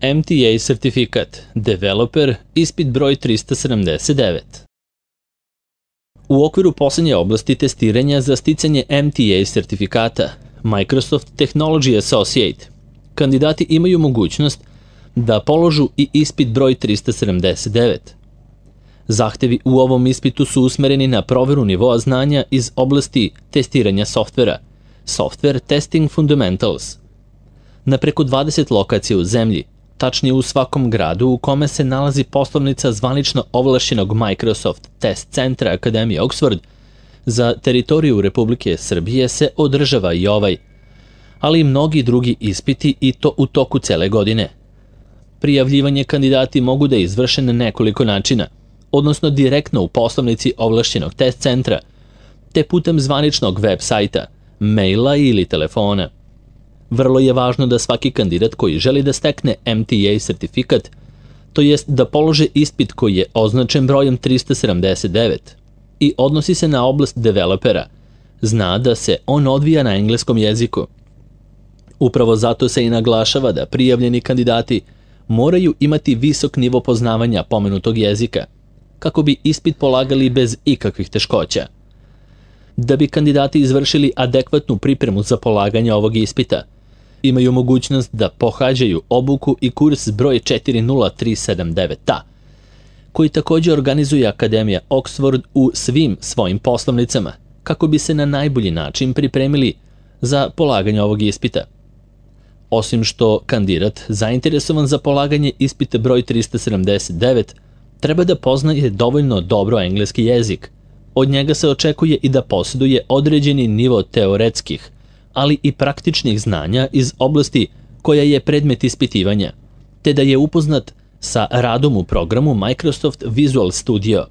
MTA sertifikat, developer, ispit broj 379. U okviru poslednje oblasti testiranja za sticanje MTA sertifikata, Microsoft Technology Associate, kandidati imaju mogućnost da položu i ispit broj 379. Zahtevi u ovom ispitu su usmereni na proveru nivoa znanja iz oblasti testiranja softvera, Software Testing Fundamentals. Na preko 20 lokacija u zemlji, tačnije u svakom gradu u kome se nalazi poslovnica zvanično ovlašćenog Microsoft Test Centra Akademije Oxford, za teritoriju Republike Srbije se održava i ovaj, ali i mnogi drugi ispiti i to u toku cele godine. Prijavljivanje kandidati mogu da izvrše na nekoliko načina, odnosno direktno u poslovnici ovlašćenog test centra, te putem zvaničnog web sajta, maila ili telefona. Vrlo je važno da svaki kandidat koji želi da stekne MTA sertifikat, to jest da polože ispit koji je označen brojem 379 i odnosi se na oblast developera, zna da se on odvija na engleskom jeziku. Upravo zato se i naglašava da prijavljeni kandidati moraju imati visok nivo poznavanja pomenutog jezika, kako bi ispit polagali bez ikakvih teškoća. Da bi kandidati izvršili adekvatnu pripremu za polaganje ovog ispita, imaju mogućnost da pohađaju obuku i kurs broj 40379A, koji također organizuje Akademija Oxford u svim svojim poslovnicama, kako bi se na najbolji način pripremili za polaganje ovog ispita. Osim što kandidat zainteresovan za polaganje ispita broj 379 treba da poznaje dovoljno dobro engleski jezik. Od njega se očekuje i da posjeduje određeni nivo teoretskih, ali i praktičnih znanja iz oblasti koja je predmet ispitivanja, te da je upoznat sa radom u programu Microsoft Visual Studio,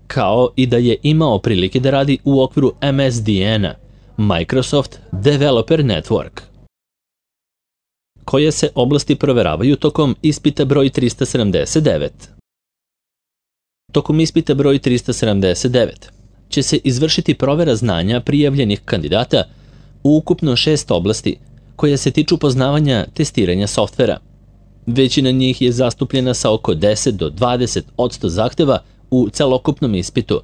kao i da je imao prilike da radi u okviru MSDN-a, Microsoft Developer Network. Koje se oblasti proveravaju tokom ispita broj 379? Tokom ispita broj 379 će se izvršiti provera znanja prijavljenih kandidata u ukupno 6 oblasti koje se tiču poznavanja testiranja softvera. Većina njih je zastupljena sa oko 10 do 20% zahteva u celokupnom ispitu,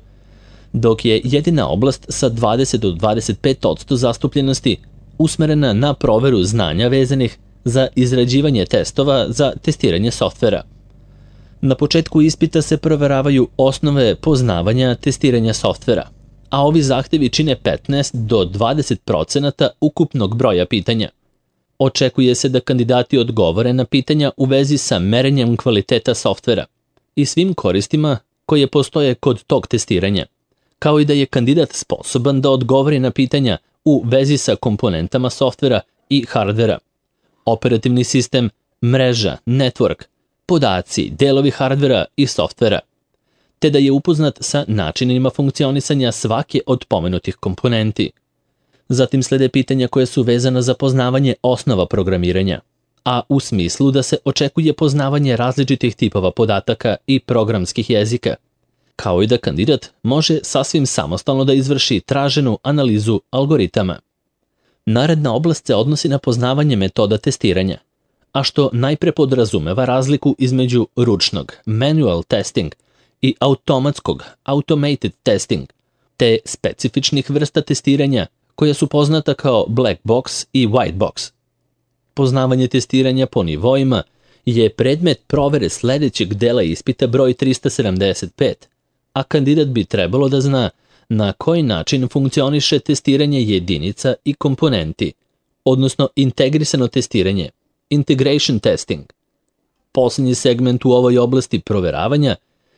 dok je jedina oblast sa 20 do 25% zastupljenosti usmerena na proveru znanja vezanih za izrađivanje testova za testiranje softvera. Na početku ispita se proveravaju osnove poznavanja testiranja softvera, a ovi zahtevi čine 15 do 20% ukupnog broja pitanja. Očekuje se da kandidati odgovore na pitanja u vezi sa merenjem kvaliteta softvera i svim koristima koje postoje kod tog testiranja, kao i da je kandidat sposoban da odgovori na pitanja u vezi sa komponentama softvera i hardvera, operativni sistem, mreža, network, podaci, delovi hardvera i softvera, te da je upoznat sa načinima funkcionisanja svake od pomenutih komponenti. Zatim slede pitanja koje su vezana za poznavanje osnova programiranja, a u smislu da se očekuje poznavanje različitih tipova podataka i programskih jezika, kao i da kandidat može sasvim samostalno da izvrši traženu analizu algoritama. Naredna oblast se odnosi na poznavanje metoda testiranja, a što najpre podrazumeva razliku između ručnog, manual testing, i automatskog, automated testing, te specifičnih vrsta testiranja koja su poznata kao black box i white box. Poznavanje testiranja po nivoima je predmet provere sledećeg dela ispita broj 375, a kandidat bi trebalo da zna na koji način funkcioniše testiranje jedinica i komponenti, odnosno integrisano testiranje, integration testing. Poslednji segment u ovoj oblasti proveravanja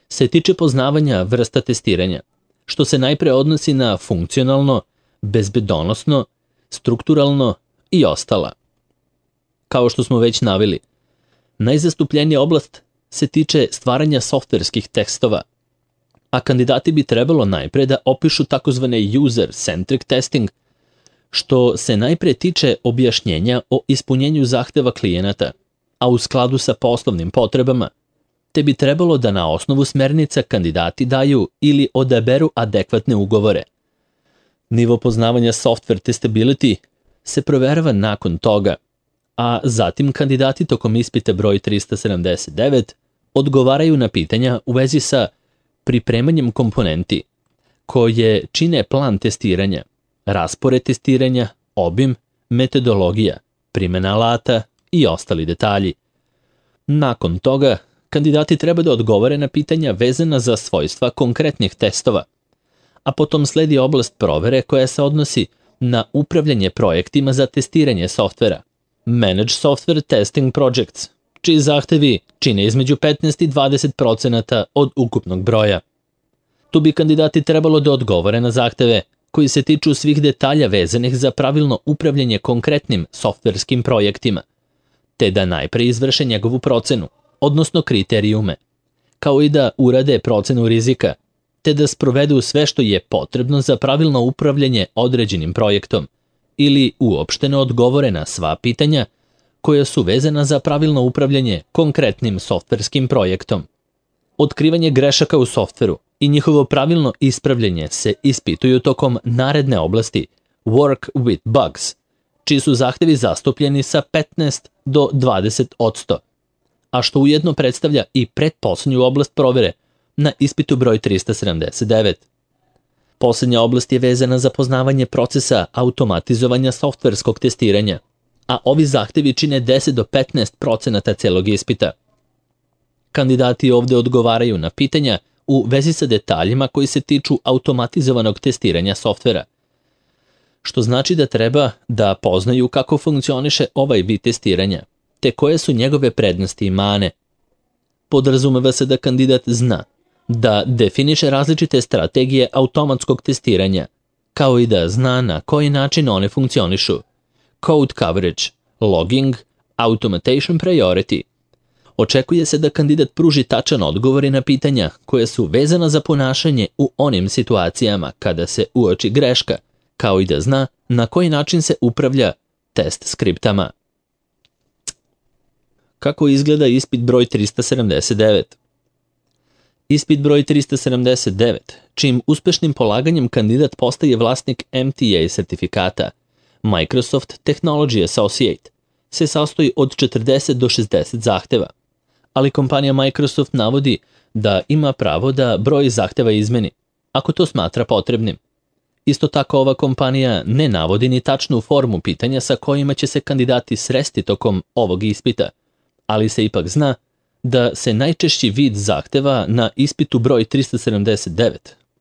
se tiče poznavanja vrsta testiranja, što se najpre odnosi na funkcionalno, bezbedonosno, strukturalno i ostala. Kao što smo već naveli, najzastupljenija oblast se tiče stvaranja softverskih tekstova, a kandidati bi trebalo najpre da opišu takozvane user-centric testing, što se najpre tiče objašnjenja o ispunjenju zahteva klijenata, a u skladu sa poslovnim potrebama, te bi trebalo da na osnovu smernica kandidati daju ili odaberu adekvatne ugovore. Nivo poznavanja software testability se proverava nakon toga, a zatim kandidati tokom ispita broj 379 odgovaraju na pitanja u vezi sa pripremanjem komponenti koje čine plan testiranja, raspored testiranja, obim, metodologija, primjena alata i ostali detalji. Nakon toga, kandidati treba da odgovore na pitanja vezana za svojstva konkretnih testova, a potom sledi oblast provere koja se odnosi na upravljanje projektima za testiranje softvera, Manage Software Testing Projects, čiji zahtevi čine između 15 i 20% od ukupnog broja. Tu bi kandidati trebalo da odgovore na zahteve koji se tiču svih detalja vezanih za pravilno upravljanje konkretnim softverskim projektima, te da najpre izvrše njegovu procenu, odnosno kriterijume, kao i da urade procenu rizika, te da sprovedu sve što je potrebno za pravilno upravljanje određenim projektom ili uopšteno odgovore na sva pitanja koja su vezana za pravilno upravljanje konkretnim softverskim projektom. Otkrivanje grešaka u softveru i njihovo pravilno ispravljanje se ispituju tokom naredne oblasti Work with Bugs, čiji su zahtevi zastupljeni sa 15 do 20%, a što ujedno predstavlja i pretposlednju oblast provere na ispitu broj 379. Poslednja oblast je vezana za poznavanje procesa automatizovanja softverskog testiranja, a ovi zahtevi čine 10 do 15% celog ispita. Kandidati ovde odgovaraju na pitanja u vezi sa detaljima koji se tiču automatizovanog testiranja softvera, što znači da treba da poznaju kako funkcioniše ovaj vid testiranja, te koje su njegove prednosti i mane. Podrazumeva se da kandidat zna da definiše različite strategije automatskog testiranja, kao i da zna na koji način one funkcionišu, code coverage, logging, automation priority. Očekuje se da kandidat pruži tačan odgovor na pitanja koje su vezana za ponašanje u onim situacijama kada se uoči greška, kao i da zna na koji način se upravlja test skriptama. Kako izgleda ispit broj 379? Ispit broj 379, čijim uspešnim polaganjem kandidat postaje vlasnik MTA sertifikata, Microsoft Technology Associate, se sastoji od 40 do 60 zahteva, ali kompanija Microsoft navodi da ima pravo da broj zahteva izmeni, ako to smatra potrebnim. Isto tako ova kompanija ne navodi ni tačnu formu pitanja sa kojima će se kandidati sresti tokom ovog ispita, ali se ipak zna da se najčešći vid zahteva na ispitu broj 379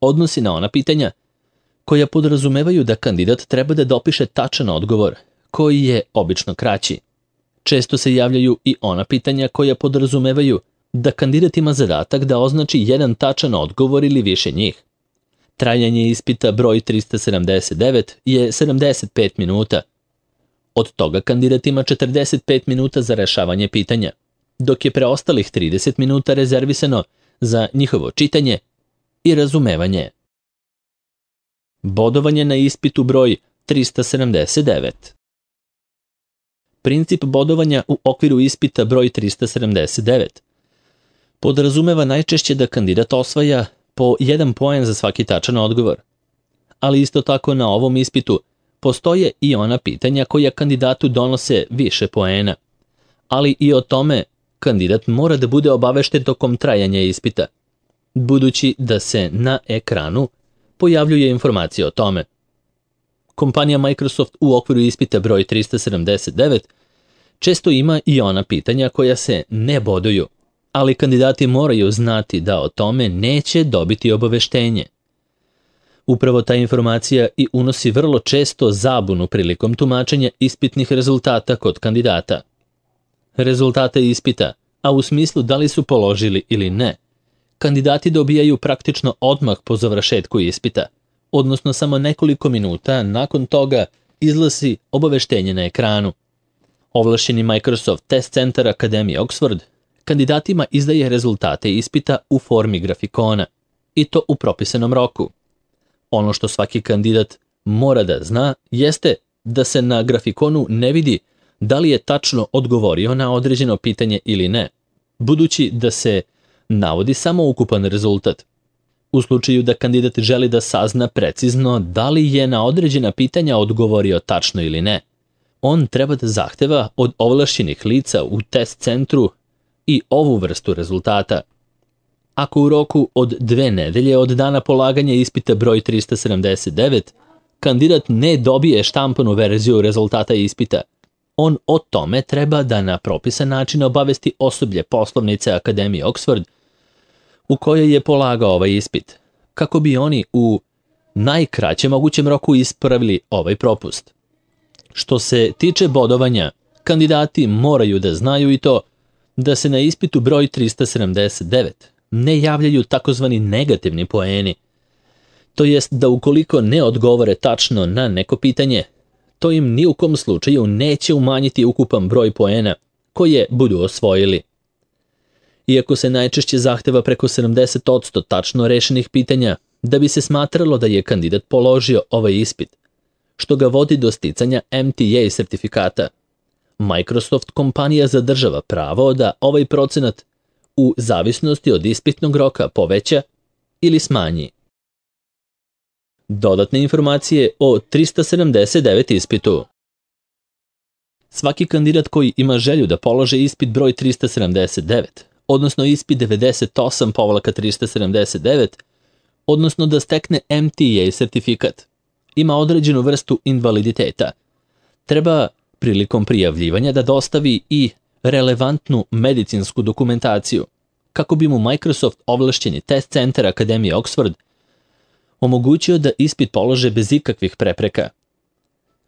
odnosi na ona pitanja koja podrazumevaju da kandidat treba da dopiše tačan odgovor, koji je obično kraći. Često se javljaju i ona pitanja koja podrazumevaju da kandidat ima zadatak da označi jedan tačan odgovor ili više njih. Trajanje ispita broj 379 je 75 minuta. Od toga kandidat ima 45 minuta za rešavanje pitanja, dok je preostalih 30 minuta rezervisano za njihovo čitanje i razumevanje. Bodovanje na ispitu broj 379. Princip bodovanja u okviru ispita broj 379 podrazumeva najčešće da kandidat osvaja po 1 poen za svaki tačan odgovor, ali isto tako na ovom ispitu postoje i ona pitanja koja kandidatu donose više poena, ali i o tome kandidat mora da bude obavešten tokom trajanja ispita, budući da se na ekranu pojavljuje informacija o tome. Kompanija Microsoft u okviru ispita broj 379 često ima i ona pitanja koja se ne boduju, ali kandidati moraju znati da o tome neće dobiti obaveštenje. Upravo ta informacija i unosi vrlo često zabunu prilikom tumačenja ispitnih rezultata kod kandidata. Rezultate ispita, a u smislu da li su položili ili ne, kandidati dobijaju praktično odmah po završetku ispita, odnosno samo nekoliko minuta nakon toga izlazi obaveštenje na ekranu. Ovlašćeni Microsoft Test Center Akademije Oxford kandidatima izdaje rezultate ispita u formi grafikona, i to u propisanom roku. Ono što svaki kandidat mora da zna jeste da se na grafikonu ne vidi da li je tačno odgovorio na određeno pitanje ili ne, budući da se navodi samo ukupan rezultat. U slučaju da kandidat želi da sazna precizno da li je na određena pitanja odgovorio tačno ili ne, On treba da zahteva od ovlašćenih lica u test centru i ovu vrstu rezultata. Ako u roku od 2 nedelje od dana polaganja ispita broj 379, kandidat ne dobije štampanu verziju rezultata ispita, on o tome treba da na propisan način obavesti osoblje poslovnice Akademije Oxford u kojoj je polagao ovaj ispit, kako bi oni u najkraćem mogućem roku ispravili ovaj propust. Što se tiče bodovanja, kandidati moraju da znaju i to da se na ispitu broj 379 ne javljaju takozvani negativni poeni, to jest da ukoliko ne odgovore tačno na neko pitanje, to im ni u kom slučaju neće umanjiti ukupan broj poena koje budu osvojili. Iako se najčešće zahteva preko 70% tačno rešenih pitanja, da bi se smatralo da je kandidat položio ovaj ispit, što ga vodi do sticanja MTA sertifikata, Microsoft kompanija zadržava pravo da ovaj procenat u zavisnosti od ispitnog roka poveća ili smanji. Dodatne informacije o 379 ispitu. Svaki kandidat koji ima želju da položi ispit broj 379, odnosno ispit 98-379, odnosno da stekne MTA sertifikat, ima određenu vrstu invaliditeta. Treba prilikom prijavljivanja da dostavi i relevantnu medicinsku dokumentaciju, kako bi mu Microsoft ovlašćeni test centar Akademije Oxford omogućio da ispit polože bez ikakvih prepreka.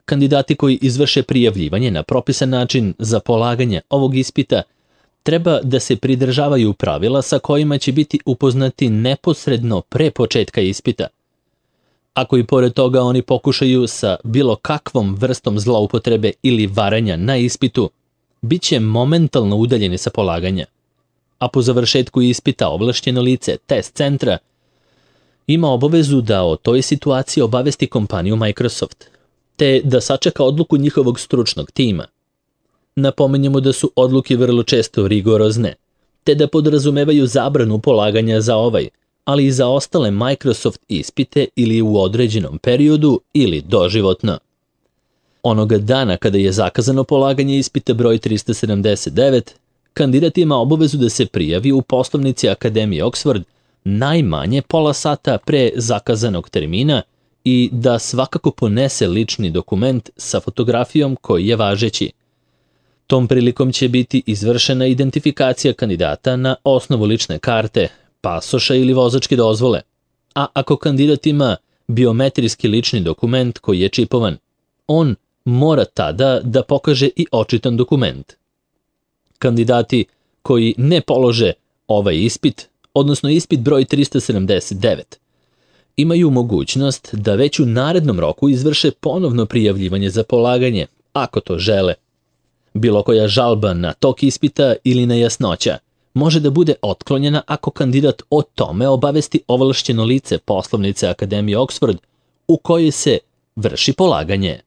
Kandidati koji izvrše prijavljivanje na propisan način za polaganje ovog ispita treba da se pridržavaju pravila sa kojima će biti upoznati neposredno pre početka ispita. Ako i pored toga oni pokušaju sa bilo kakvom vrstom zloupotrebe ili varanja na ispitu, bit će momentalno udaljeni sa polaganja. A po završetku ispita ovlašćeno lice test centra ima obavezu da o toj situaciji obavesti kompaniju Microsoft, te da sačeka odluku njihovog stručnog tima. Napominjemo da su odluke vrlo često rigorozne, te da podrazumevaju zabranu polaganja za ovaj, ali i za ostale Microsoft ispite ili u određenom periodu ili doživotno. Onoga dana kada je zakazano polaganje ispita broj 379, kandidat ima obavezu da se prijavi u poslovnici Akademije Oxford najmanje pola sata pre zakazanog termina i da svakako ponese lični dokument sa fotografijom koji je važeći. Tom prilikom će biti izvršena identifikacija kandidata na osnovu lične karte, pasoša ili vozačke dozvole, a ako kandidat ima biometrijski lični dokument koji je čipovan, on mora tada da pokaže i očitan dokument. Kandidati koji ne polože ovaj ispit, odnosno ispit broj 379, imaju mogućnost da već u narednom roku izvrše ponovno prijavljivanje za polaganje, ako to žele. Bilo koja žalba na tok ispita ili nejasnoća može da bude otklonjena ako kandidat o tome obavesti ovlašćeno lice poslovnice Akademije Oxford u kojoj se vrši polaganje.